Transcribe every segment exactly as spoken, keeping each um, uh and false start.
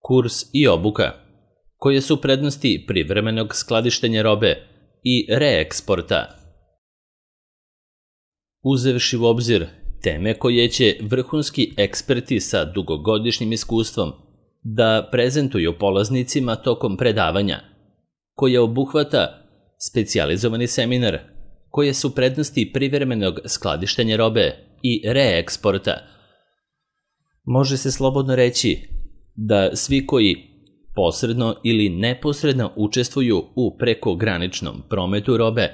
Kurs i obuka. Koje su prednosti privremenog skladištenja robe i reeksporta? Uzevši u obzir teme koje će vrhunski eksperti sa dugogodišnjim iskustvom da prezentuju polaznicima tokom predavanja, koje obuhvata specijalizovani seminar, koje su prednosti privremenog skladištenja robe i reeksporta, može se slobodno reći da svi koji posredno ili neposredno učestvuju u prekograničnom prometu robe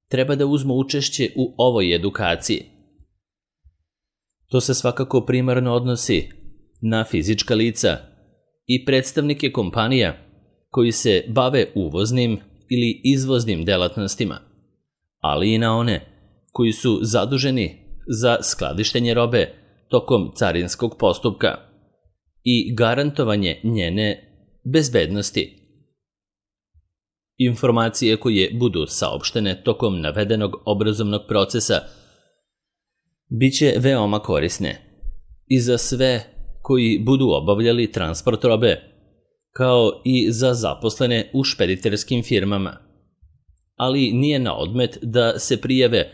treba da uzmu učešće u ovoj edukaciji. To se svakako primarno odnosi na fizička lica i predstavnike kompanija koji se bave uvoznim ili izvoznim delatnostima, ali i na one koji su zaduženi za skladištenje robe tokom carinskog postupka i garantovanje njene bezbednosti. Informacije koje budu saopštene tokom navedenog obrazovnog procesa biće veoma korisne i za sve koji budu obavljali transport robe, kao i za zaposlene u špediterskim firmama. Ali nije na odmet da se prijave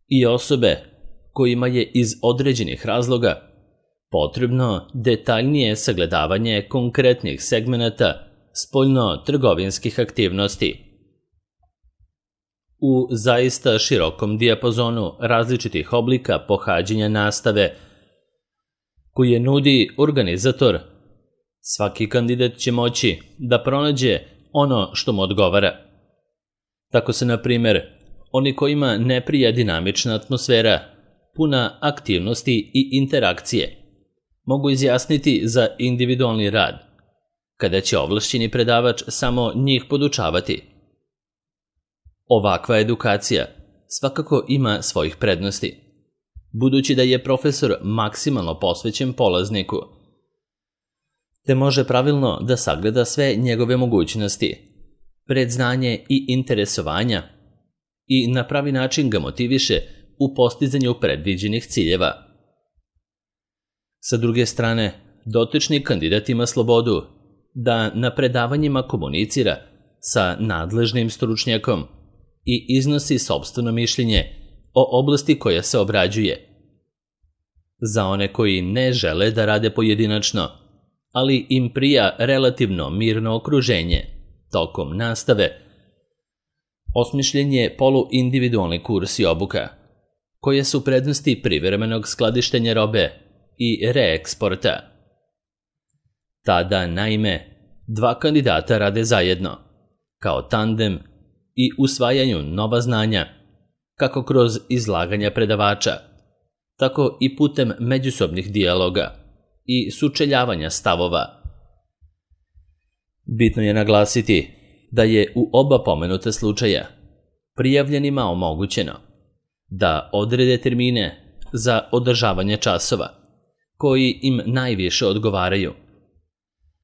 i osobe kojima je iz određenih razloga potrebno detaljnije sagledavanje konkretnih segmenata spoljno-trgovinskih aktivnosti. U zaista širokom dijapazonu različitih oblika pohađanja nastave koje nudi organizator, svaki kandidat će moći da pronađe ono što mu odgovara. Tako se, na primjer, oni kojima ne prija dinamična atmosfera, puna aktivnosti i interakcije, mogu izjasniti za individualni rad, kada će ovlašćeni predavač samo njih podučavati. Ovakva edukacija svakako ima svojih prednosti, budući da je profesor maksimalno posvećen polazniku, te može pravilno da sagleda sve njegove mogućnosti, predznanje i interesovanja i na pravi način ga motiviše u postizanju predviđenih ciljeva. Sa druge strane, dotični kandidat ima slobodu da na predavanjima komunicira sa nadležnim stručnjakom i iznosi sopstveno mišljenje o oblasti koja se obrađuje. Za one koji ne žele da rade pojedinačno, ali im prija relativno mirno okruženje tokom nastave, osmišljen je poluindividualni kurs i obuka, koje su prednosti privremenog skladištenja robe i reeksporta. Tada, naime, dva kandidata rade zajedno, kao tandem i usvajanju nova znanja, kako kroz izlaganja predavača, tako i putem međusobnih dijaloga i sučeljavanja stavova. Bitno je naglasiti da je u oba pomenuta slučaja prijavljenima omogućeno da odrede termine za održavanje časova koji im najviše odgovaraju,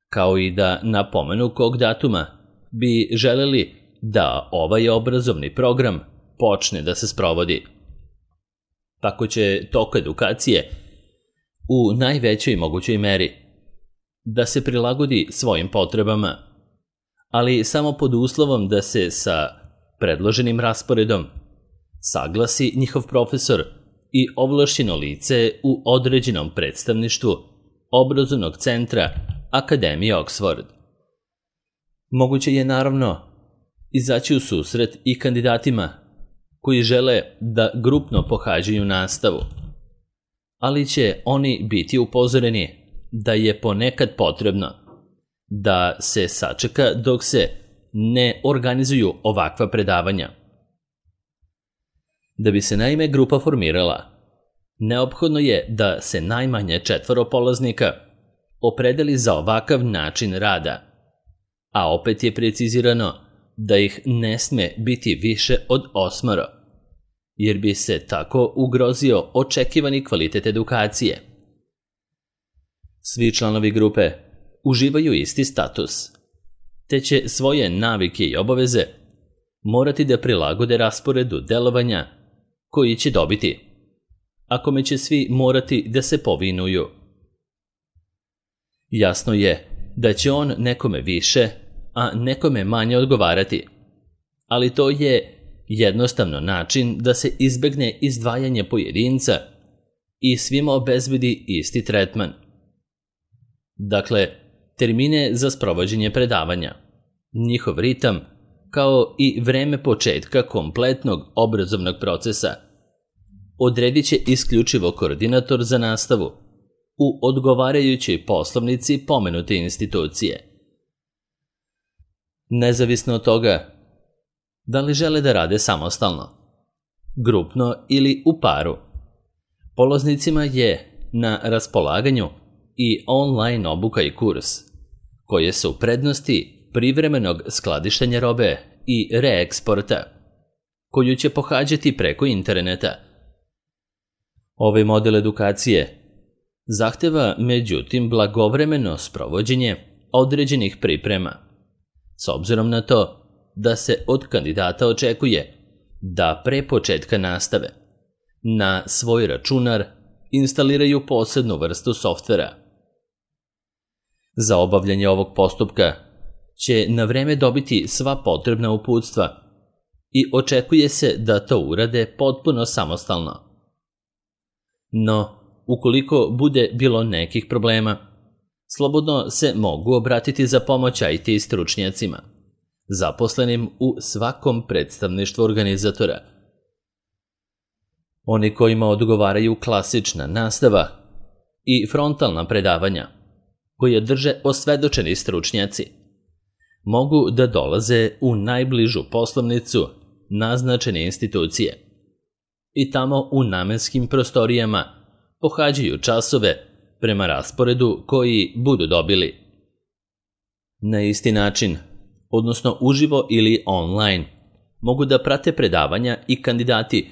kao i da na pomenu kog datuma bi želeli da ovaj obrazovni program počne da se sprovodi. Tako će tok edukacije u najvećoj mogućoj meri da se prilagodi svojim potrebama, ali samo pod uslovom da se sa predloženim rasporedom saglasi njihov profesor i ovlašćeno lice u određenom predstavništvu obrazovnog centra Akademije Oxford. Moguće je naravno izaći u susret i kandidatima koji žele da grupno pohađaju nastavu, ali će oni biti upozoreni da je ponekad potrebno da se sačeka dok se ne organizuju ovakva predavanja. Da bi se naime grupa formirala, neophodno je da se najmanje četvoro polaznika opredeli za ovakav način rada, a opet je precizirano da ih ne sme biti više od osmoro, jer bi se tako ugrozio očekivani kvalitet edukacije. Svi članovi grupe uživaju isti status, te će svoje navike i obaveze morati da prilagode rasporedu delovanja koji će dobiti, a kome će svi morati da se povinuju. Jasno je da će on nekome više, a nekome manje odgovarati, ali to je jednostavno način da se izbegne izdvajanje pojedinca i svima obezbedi isti tretman. Dakle, termine za sprovođenje predavanja, njihov ritam, kao i vreme početka kompletnog obrazovnog procesa odredit će isključivo koordinator za nastavu u odgovarajućoj poslovnici pomenute institucije. Nezavisno od toga da li žele da rade samostalno, grupno ili u paru, polaznicima je na raspolaganju i online obuka i kurs, koje su prednosti privremenog skladištenja robe i reeksporta, koju će pohađati preko interneta. Ovaj model edukacije zahteva, međutim, blagovremeno sprovođenje određenih priprema, s obzirom na to da se od kandidata očekuje da pre početka nastave na svoj računar instaliraju posebnu vrstu softvera. Za obavljanje ovog postupka će na vreme dobiti sva potrebna uputstva i očekuje se da to urade potpuno samostalno. No, ukoliko bude bilo nekih problema, slobodno se mogu obratiti za pomoć I T stručnjacima, zaposlenim u svakom predstavništvu organizatora. Oni kojima odgovaraju klasična nastava i frontalna predavanja, koje drže osvedočeni stručnjaci, mogu da dolaze u najbližu poslovnicu naznačene institucije i tamo u namenskim prostorijama pohađaju časove prema rasporedu koji budu dobili. Na isti način, odnosno uživo ili online, mogu da prate predavanja i kandidati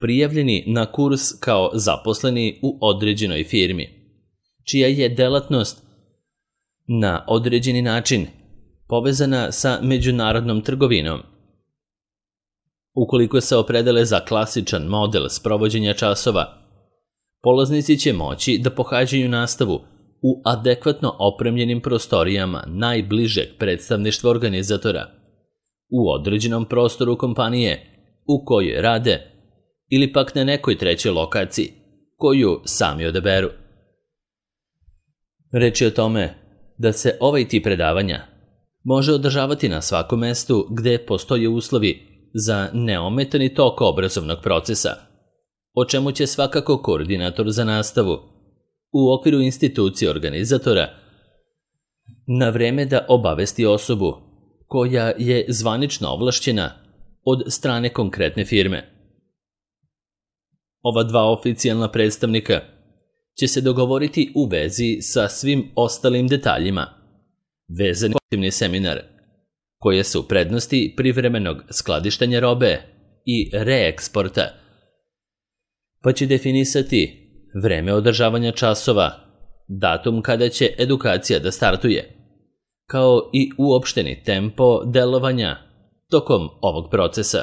prijavljeni na kurs kao zaposleni u određenoj firmi, čija je delatnost na određeni način povezana sa međunarodnom trgovinom. Ukoliko se opredele za klasičan model sprovođenja časova, polaznici će moći da pohađaju nastavu u adekvatno opremljenim prostorijama najbližeg predstavništva organizatora, u određenom prostoru kompanije u kojoj rade ili pak na nekoj trećoj lokaciji koju sami odaberu. Reč je o tome da se ovaj tip predavanja može održavati na svakom mestu gde postoje uslovi za neometani tok obrazovnog procesa, o čemu će svakako koordinator za nastavu u okviru institucije organizatora na vreme da obavesti osobu koja je zvanično ovlašćena od strane konkretne firme. Ova dva oficijalna predstavnika će se dogovoriti u vezi sa svim ostalim detaljima vezani za seminar, koje su prednosti privremenog skladištenja robe i reeksporta, pa će definisati vreme održavanja časova, datum kada će edukacija da startuje, kao i uopšteni tempo delovanja tokom ovog procesa.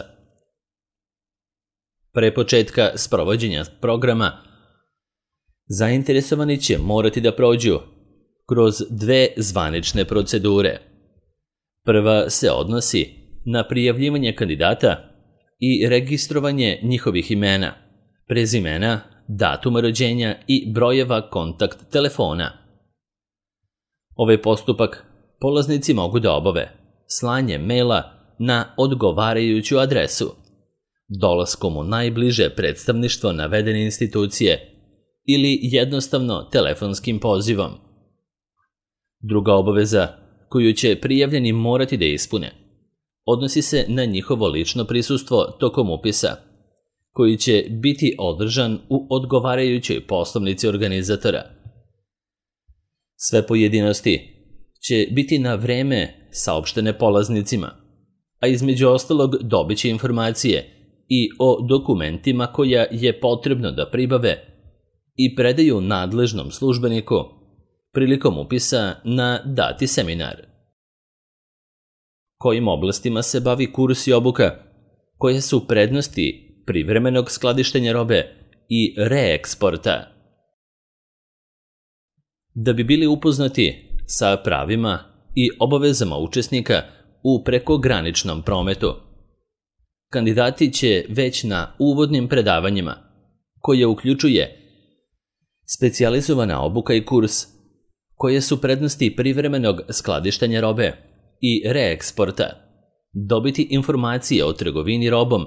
Pre početka sprovođenja programa, zainteresovani će morati da prođu kroz dve zvanične procedure. Prva se odnosi na prijavljivanje kandidata i registrovanje njihovih imena, prezimena, datuma rođenja i brojeva kontakt telefona. Ovaj postupak polaznici mogu da obave slanjem maila na odgovarajuću adresu, dolaskom u najbliže predstavništvo navedene institucije ili jednostavno telefonskim pozivom. Druga obaveza koju će prijavljeni morati da ispune odnosi se na njihovo lično prisustvo tokom upisa, koji će biti održan u odgovarajućoj poslovnici organizatora. Sve pojedinosti će biti na vreme saopštene polaznicima, a između ostalog dobit će informacije i o dokumentima koja je potrebno da pribave i predaju nadležnom službeniku prilikom upisa na dati seminar. Kojim oblastima se bavi kurs i obuka, koje su prednosti privremenog skladištenja robe i reeksporta. Da bi bili upoznati sa pravima i obavezama učesnika u prekograničnom prometu. Kandidati će već na uvodnim predavanjima, koje uključuje specijalizovana obuka i kurs, koje su prednosti privremenog skladištenja robe i reeksporta, dobiti informacije o trgovini robom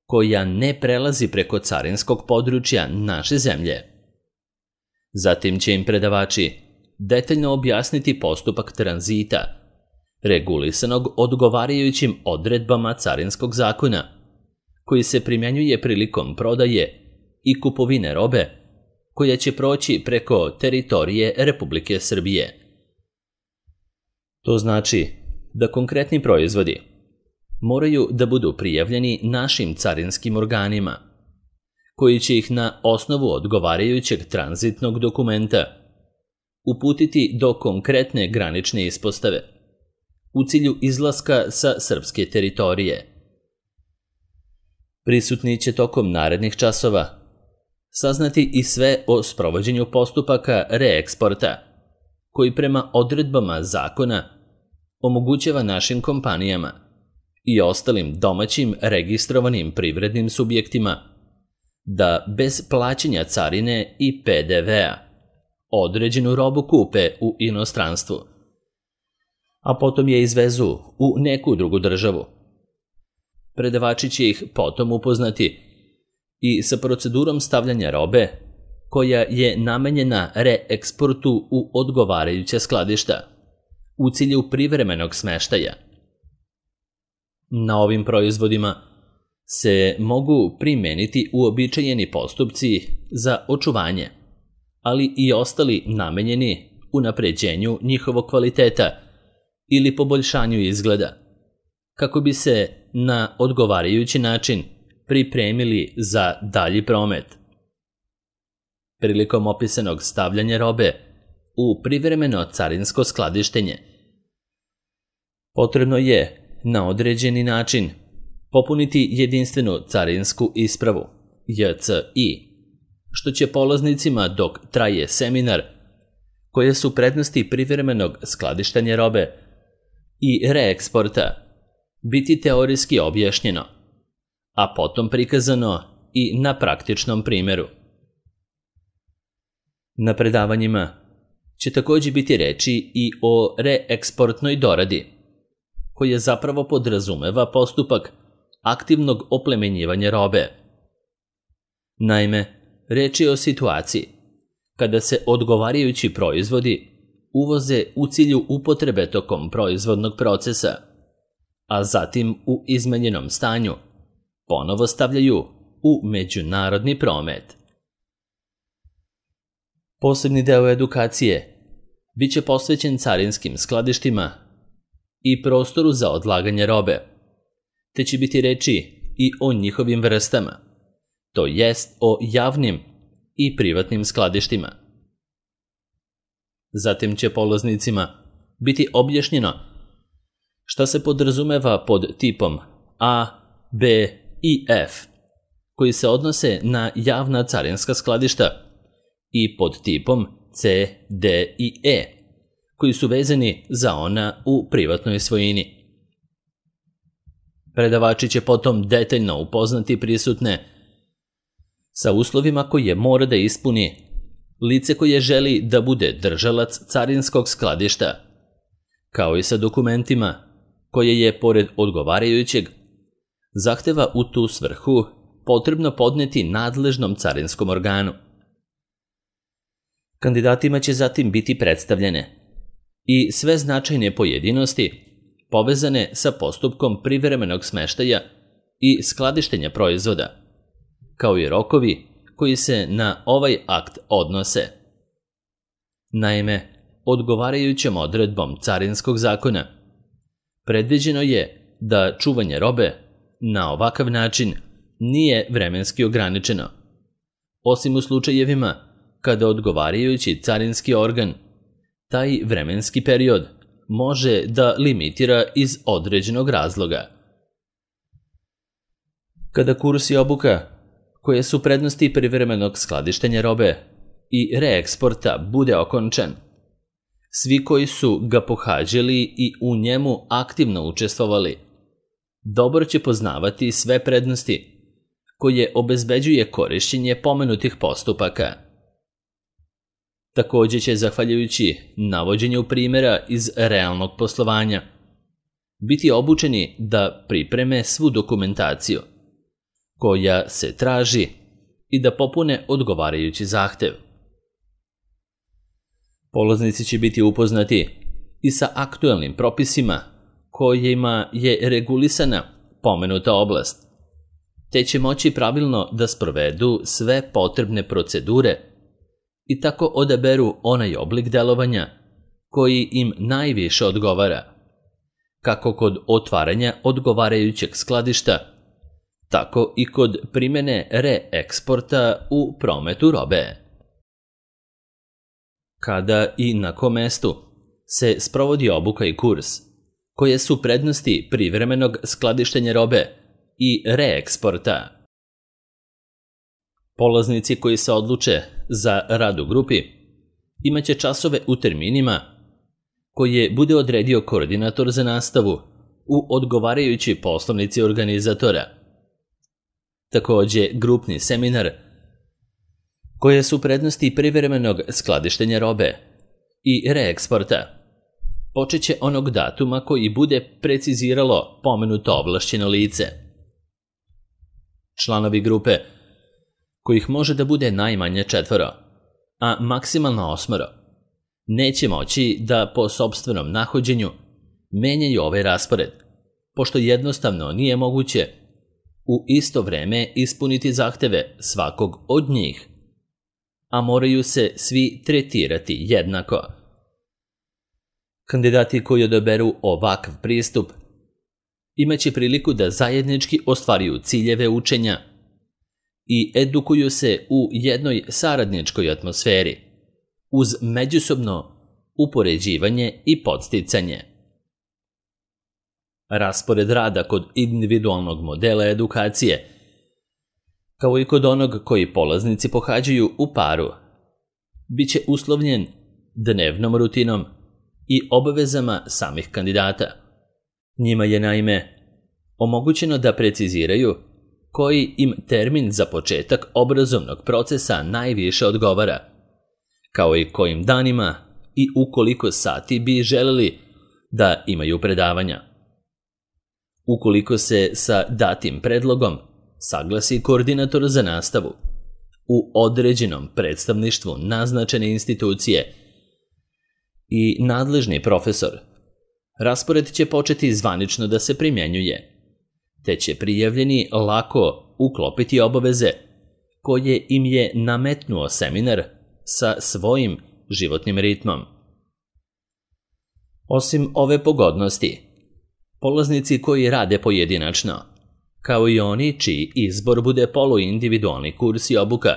koja ne prelazi preko carinskog područja naše zemlje. Zatim će im predavači detaljno objasniti postupak tranzita, regulisanog odgovarajućim odredbama carinskog zakona, koji se primjenjuje prilikom prodaje i kupovine robe koja će proći preko teritorije Republike Srbije. To znači da konkretni proizvodi moraju da budu prijavljeni našim carinskim organima, koji će ih na osnovu odgovarajućeg tranzitnog dokumenta uputiti do konkretne granične ispostave u cilju izlaska sa srpske teritorije. Prisutni će tokom narednih časova saznati i sve o sprovođenju postupaka reeksporta, koji prema odredbama zakona omogućava našim kompanijama i ostalim domaćim registrovanim privrednim subjektima da bez plaćanja carine i P D V-a određenu robu kupe u inostranstvu, a potom je izvezu u neku drugu državu. Predavači će ih potom upoznati i sa procedurom stavljanja robe koja je namenjena reeksportu u odgovarajuće skladišta u cilju privremenog smeštaja. Na ovim proizvodima se mogu primeniti uobičajeni postupci za očuvanje, ali i ostali namenjeni unapređenju njihovog kvaliteta ili poboljšanju izgleda, kako bi se na odgovarajući način pripremili za dalji promet. Prilikom opisanog stavljanja robe u privremeno carinsko skladištenje, potrebno je na određeni način popuniti jedinstvenu carinsku ispravu J C I, što će polaznicima dok traje seminar, koje su prednosti privremenog skladištenja robe i reeksporta, biti teorijski objašnjeno, a potom prikazano i na praktičnom primjeru. Na predavanjima će također biti reči i o reeksportnoj doradi, koja zapravo podrazumeva postupak aktivnog oplemenjivanja robe. Naime, reč je o situaciji kada se odgovarajući proizvodi uvoze u cilju upotrebe tokom proizvodnog procesa, a zatim u izmenjenom stanju ponovo stavljaju u međunarodni promet. Posebni deo edukacije biće posvećen carinskim skladištima i prostoru za odlaganje robe, te će biti reči i o njihovim vrstama, to jest o javnim i privatnim skladištima. Zatim će polaznicima biti objašnjeno šta se podrazumeva pod tipom A, B i F, koji se odnose na javna carinska skladišta, i pod tipom C, D i E, koji su vezani za ona u privatnoj svojini. Predavači će potom detaljno upoznati prisutne sa uslovima koje mora da ispuni lice koje želi da bude držalac carinskog skladišta, kao i sa dokumentima koje je, pored odgovarajućeg, zahteva u tu svrhu potrebno podneti nadležnom carinskom organu. Kandidatima će zatim biti predstavljene i sve značajne pojedinosti povezane sa postupkom privremenog smeštaja i skladištenja proizvoda, kao i rokovi koji se na ovaj akt odnose. Naime, odgovarajućom odredbom carinskog zakona predviđeno je da čuvanje robe na ovakav način nije vremenski ograničeno, osim u slučajevima kada odgovarajući carinski organ taj vremenski period može da limitira iz određenog razloga. Kada kurs i obuka, koje su prednosti privremenog skladištenja robe i reeksporta, bude okončan, Svi koji su ga pohađali i u njemu aktivno učestvovali, dobro će poznavati sve prednosti koje obezbeđuje korišćenje pomenutih postupaka. Također će, zahvaljujući navođenju primjera iz realnog poslovanja, biti obučeni da pripreme svu dokumentaciju koja se traži i da popune odgovarajući zahtev. Polaznici će biti upoznati i sa aktuelnim propisima kojima je regulisana pomenuta oblast, te će moći pravilno da sprovedu sve potrebne procedure i tako odaberu onaj oblik delovanja koji im najviše odgovara, kako kod otvaranja odgovarajućeg skladišta, tako i kod primjene reeksporta u prometu robe. Kada i na kom mestu se sprovodi obuka i kurs, koje su prednosti privremenog skladištenja robe i reeksporta. Polaznici koji se odluče za rad u grupi imaće časove u terminima koje bude odredio koordinator za nastavu u odgovarajući poslovnici organizatora. Također, grupni seminar, koje su prednosti privremenog skladištenja robe i reeksporta, počet će onog datuma koji bude preciziralo pomenuto ovlašćeno lice. Članovi grupe, kojih može da bude najmanje četvoro, a maksimalno osmoro, neće moći da po sopstvenom nahođenju menjaju ovaj raspored, pošto jednostavno nije moguće u isto vreme ispuniti zahteve svakog od njih, a moraju se svi tretirati jednako. Kandidati koji odaberu ovakav pristup imaće priliku da zajednički ostvaruju ciljeve učenja i edukuju se u jednoj saradničkoj atmosferi, uz međusobno upoređivanje i podsticanje. Raspored rada kod individualnog modela edukacije, kao i kod onog koji polaznici pohađaju u paru, bit će uslovljen dnevnom rutinom i obavezama samih kandidata. Njima je naime omogućeno da preciziraju koji im termin za početak obrazovnog procesa najviše odgovara, kao i kojim danima i u koliko sati bi želeli da imaju predavanja. Ukoliko se sa datim predlogom saglasi koordinator za nastavu u određenom predstavništvu naznačene institucije i nadležni profesor, raspored će početi zvanično da se primjenjuje, te će prijavljeni lako uklopiti obaveze koje im je nametnuo seminar sa svojim životnim ritmom. Osim ove pogodnosti, polaznici koji rade pojedinačno, kao i oni čiji izbor bude poluindividualni kurs i obuka,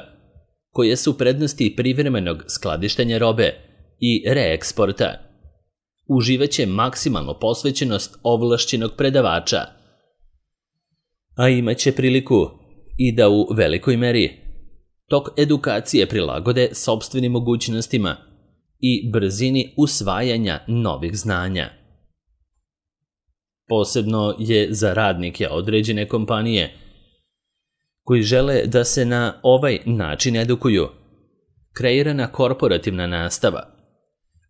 koje su prednosti privremenog skladištenja robe i reeksporta, uživaće maksimalnu posvećenost ovlašćenog predavača, a imaće priliku i da u velikoj meri tok edukacije prilagode sopstvenim mogućnostima i brzini usvajanja novih znanja. Posebno je za radnike određene kompanije koji žele da se na ovaj način edukuju kreirana korporativna nastava,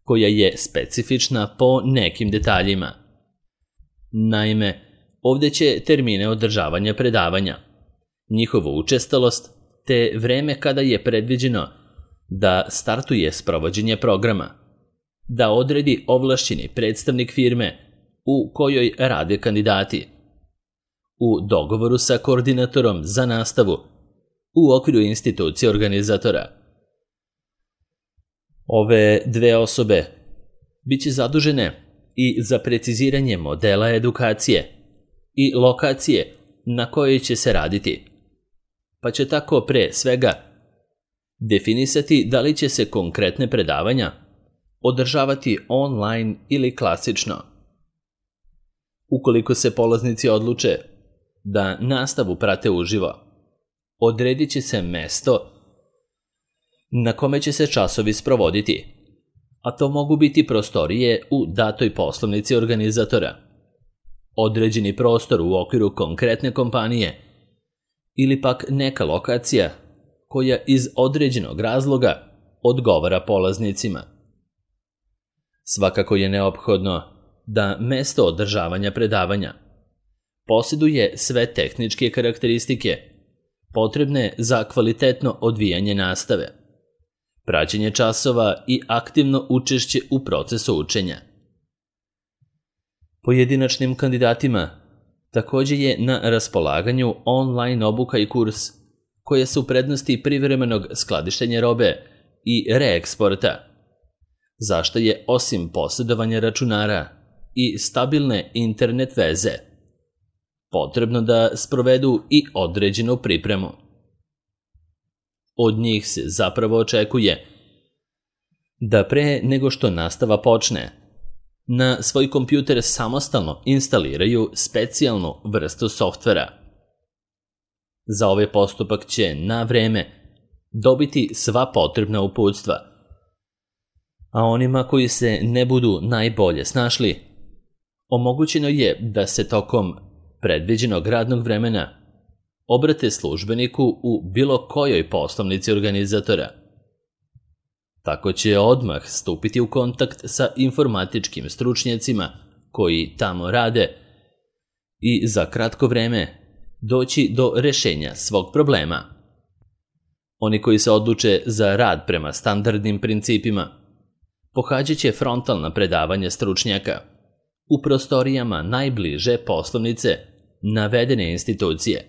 koja je specifična po nekim detaljima. Naime, ovdje će termine održavanja predavanja, njihovu učestalost, te vreme kada je predviđeno da startuje sprovođenje programa, da odredi ovlašćeni predstavnik firme u kojoj rade kandidati, u dogovoru sa koordinatorom za nastavu u okviru institucije organizatora. Ove dve osobe bit će zadužene i za preciziranje modela edukacije i lokacije na kojoj će se raditi, pa će tako pre svega definisati da li će se konkretne predavanja održavati online ili klasično. Ukoliko se polaznici odluče da nastavu prate uživo, odredit će se mesto na kome će se časovi sprovoditi, a to mogu biti prostorije u datoj poslovnici organizatora, određeni prostor u okviru konkretne kompanije ili pak neka lokacija koja iz određenog razloga odgovara polaznicima. Svakako je neophodno da mesto održavanja predavanja posjeduje sve tehničke karakteristike potrebne za kvalitetno odvijanje nastave, praćenje časova i aktivno učešće u procesu učenja. Pojedinačnim kandidatima također je na raspolaganju online obuka i kurs koje su prednosti privremenog skladištenja robe i reeksporta, zašto je osim posjedovanja računara i stabilne internet veze potrebno da sprovedu i određenu pripremu. Od njih se zapravo očekuje da pre nego što nastava počne, na svoj kompjuter samostalno instaliraju specijalnu vrstu softvera. Za ovaj postupak će na vreme dobiti sva potrebna uputstva, a onima koji se ne budu najbolje snašli, omogućeno je da se tokom predviđenog radnog vremena obrate službeniku u bilo kojoj poslovnici organizatora. Tako će odmah stupiti u kontakt sa informatičkim stručnjacima koji tamo rade i za kratko vreme doći do rešenja svog problema. Oni koji se odluče za rad prema standardnim principima pohađat će frontalna predavanja stručnjaka u prostorijama najbliže poslovnice navedene institucije,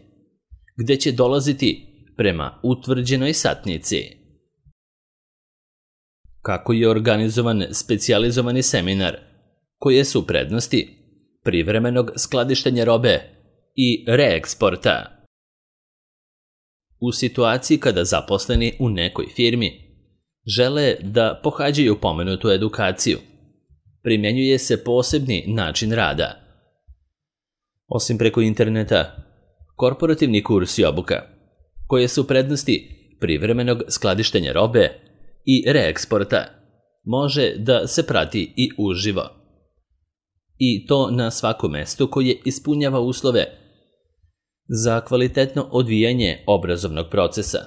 gde će dolaziti prema utvrđenoj satnici. Kako je organizovan specijalizovani seminar, koje su prednosti privremenog skladištenja robe i reeksporta? U situaciji kada zaposleni u nekoj firmi žele da pohađaju pomenutu edukaciju, primjenjuje se posebni način rada. Osim preko interneta, korporativni kurs i obuka, koje su prednosti privremenog skladištenja robe i reeksporta, može da se prati i uživo. I to na svakom mestu koje ispunjava uslove za kvalitetno odvijanje obrazovnog procesa.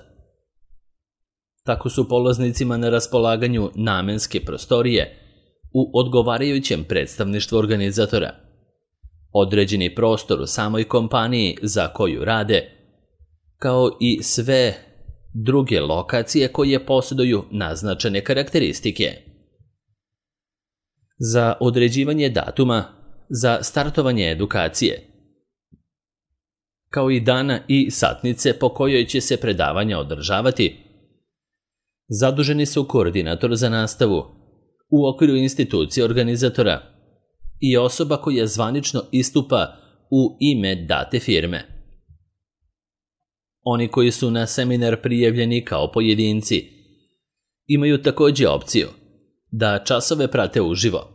Tako su polaznicima na raspolaganju namenske prostorije u odgovarajućem predstavništvu organizatora, određeni prostor u samoj kompaniji za koju rade, kao i sve druge lokacije koje posjeduju naznačene karakteristike. Za određivanje datuma za startovanje edukacije, kao i dana i satnice po kojoj će se predavanja održavati, zaduženi su koordinator za nastavu u okviru institucije organizatora i osoba koja zvanično istupa u ime date firme. Oni koji su na seminar prijavljeni kao pojedinci imaju također opciju da časove prate uživo,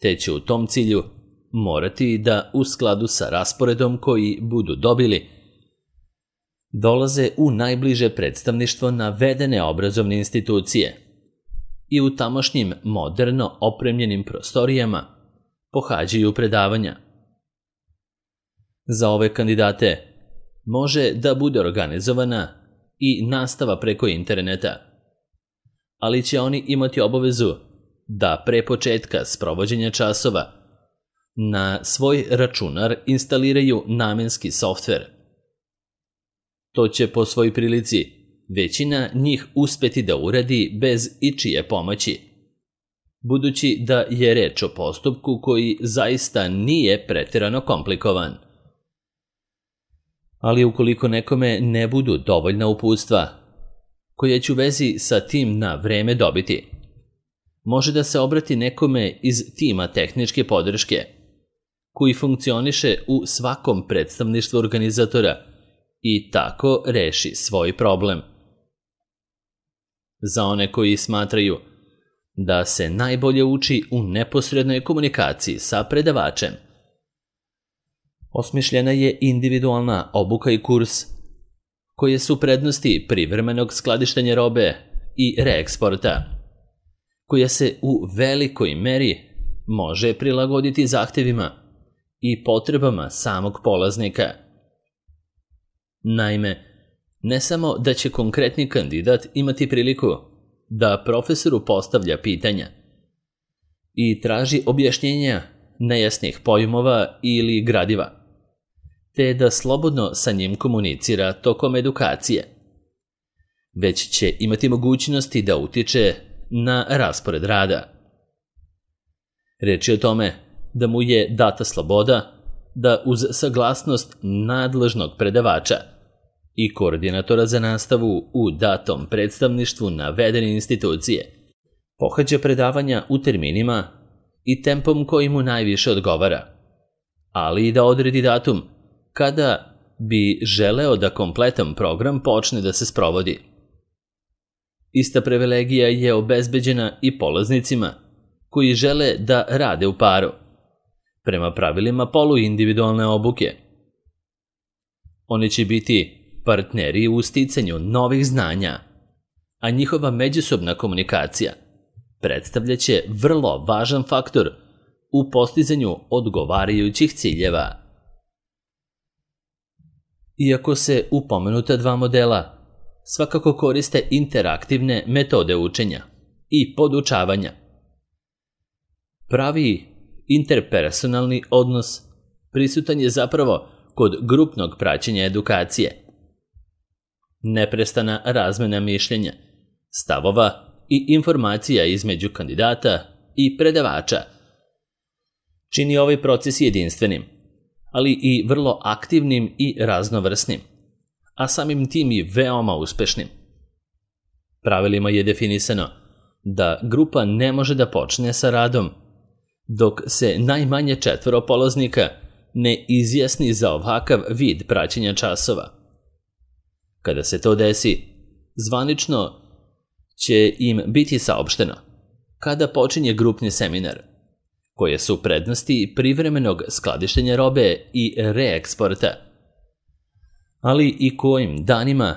te će u tom cilju morati da u skladu sa rasporedom koji budu dobili dolaze u najbliže predstavništvo navedene obrazovne institucije i u tamošnjim moderno opremljenim prostorijama pohađaju predavanja. Za ove kandidate može da bude organizovana i nastava preko interneta, ali će oni imati obavezu da pre početka sprovođenja časova na svoj računar instaliraju namenski softver. To će po svoj prilici većina njih uspeti da uradi bez ičije pomoći, budući da je reč o postupku koji zaista nije pretjerano komplikovan. Ali ukoliko nekome ne budu dovoljna uputstva, koja će u vezi sa tim na vreme dobiti, može da se obrati nekome iz tima tehničke podrške, koji funkcioniše u svakom predstavništvu organizatora i tako reši svoj problem. Za one koji smatraju da se najbolje uči u neposrednoj komunikaciji sa predavačem, osmišljena je individualna obuka i kurs, koje su prednosti privremenog skladištenja robe i reeksporta, koja se u velikoj meri može prilagoditi zahtevima i potrebama samog polaznika. Naime, ne samo da će konkretni kandidat imati priliku da profesoru postavlja pitanja i traži objašnjenja nejasnih pojmova ili gradiva, te da slobodno sa njim komunicira tokom edukacije, već će imati mogućnosti da utiče na raspored rada. Reč je o tome da mu je data sloboda da uz saglasnost nadležnog predavača i koordinatora za nastavu u datom predstavništvu navedene institucije pohađa predavanja u terminima i tempom koji mu najviše odgovara, ali i da odredi datum kada bi želeo da kompletan program počne da se sprovodi. Ista privilegija je obezbeđena i polaznicima koji žele da rade u paru, prema pravilima poluindividualne obuke. Oni će biti partneri u sticanju novih znanja, a njihova međusobna komunikacija predstavljaće vrlo važan faktor u postizanju odgovarajućih ciljeva. Iako se u pomenuta dva modela svakako koriste interaktivne metode učenja i podučavanja, pravi interpersonalni odnos prisutan je zapravo kod grupnog praćenja edukacije. Neprestana razmena mišljenja, stavova i informacija između kandidata i predavača čini ovaj proces jedinstvenim, ali i vrlo aktivnim i raznovrsnim, a samim tim i veoma uspešnim. Pravilima je definisano da grupa ne može da počne sa radom dok se najmanje četvoro polaznika ne izjasni za ovakav vid praćenja časova. Kada se to desi, zvanično će im biti saopšteno kada počinje grupni seminar, koje su prednosti privremenog skladištenja robe i reeksporta, ali i kojim danima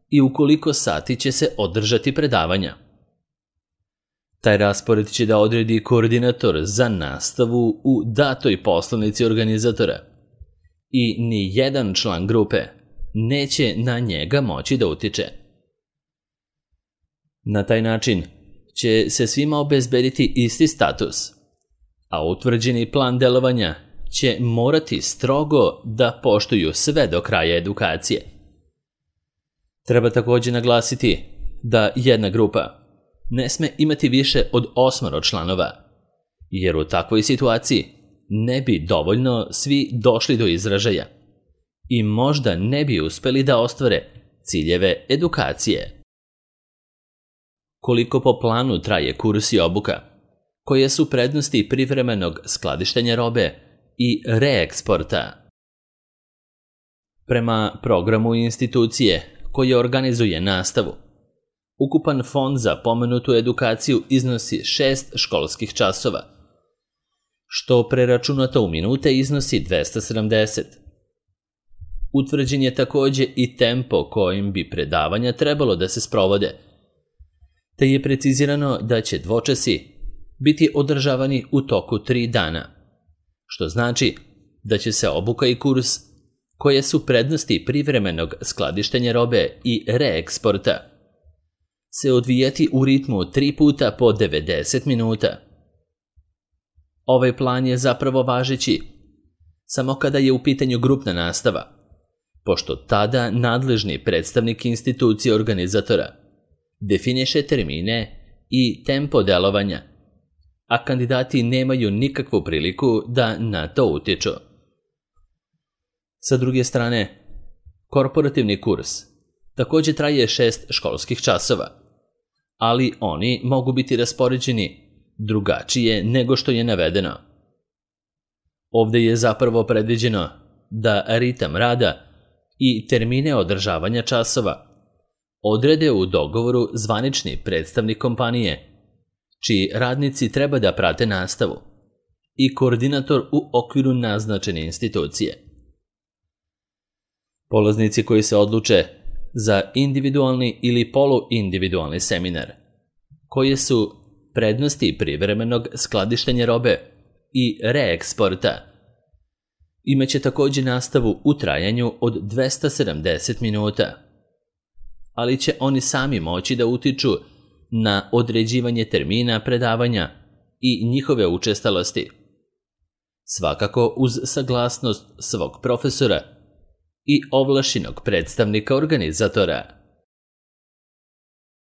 i u koliko sati će se održati predavanja. Taj raspored će da odredi koordinator za nastavu u datoj poslovnici organizatora i ni jedan član grupe neće na njega moći da utiče. Na taj način će se svima obezbediti isti status, a utvrđeni plan delovanja će morati strogo da poštuju sve do kraja edukacije. Treba također naglasiti da jedna grupa ne sme imati više od osmoro članova, jer u takvoj situaciji ne bi dovoljno svi došli do izražaja i možda ne bi uspeli da ostvare ciljeve edukacije. Koliko po planu traje kurs i obuka, koje su prednosti privremenog skladištenja robe i reeksporta? Prema programu institucije koje organizuje nastavu, ukupan fond za pomenutu edukaciju iznosi šest školskih časova, što preračunato u minute iznosi dvesta sedamdeset. Utvrđen je također i tempo kojim bi predavanja trebalo da se sprovode, te je precizirano da će dvočasi biti održavani u toku tri dana, što znači da će se obuka i kurs, koje su prednosti privremenog skladištenja robe i reeksporta, se odvijati u ritmu tri puta po devedeset minuta. Ovaj plan je zapravo važeći samo kada je u pitanju grupna nastava, pošto tada nadležni predstavnik institucije organizatora definiše termine i tempo delovanja, a kandidati nemaju nikakvu priliku da na to utiču. Sa druge strane, korporativni kurs također traje šest školskih časova, ali oni mogu biti raspoređeni drugačije nego što je navedeno. Ovdje je zapravo predviđeno da ritam rada i termine održavanja časova odrede u dogovoru zvanični predstavnik kompanije, čiji radnici treba da prate nastavu, i koordinator u okviru naznačene institucije. Polaznici koji se odluče za individualni ili poluindividualni seminar, koje su prednosti privremenog skladištenja robe i reeksporta. Imaće također nastavu u trajanju od dvesta sedamdeset minuta, ali će oni sami moći da utiču na određivanje termina predavanja i njihove učestalosti, svakako uz saglasnost svog profesora i ovlašćenog predstavnika organizatora.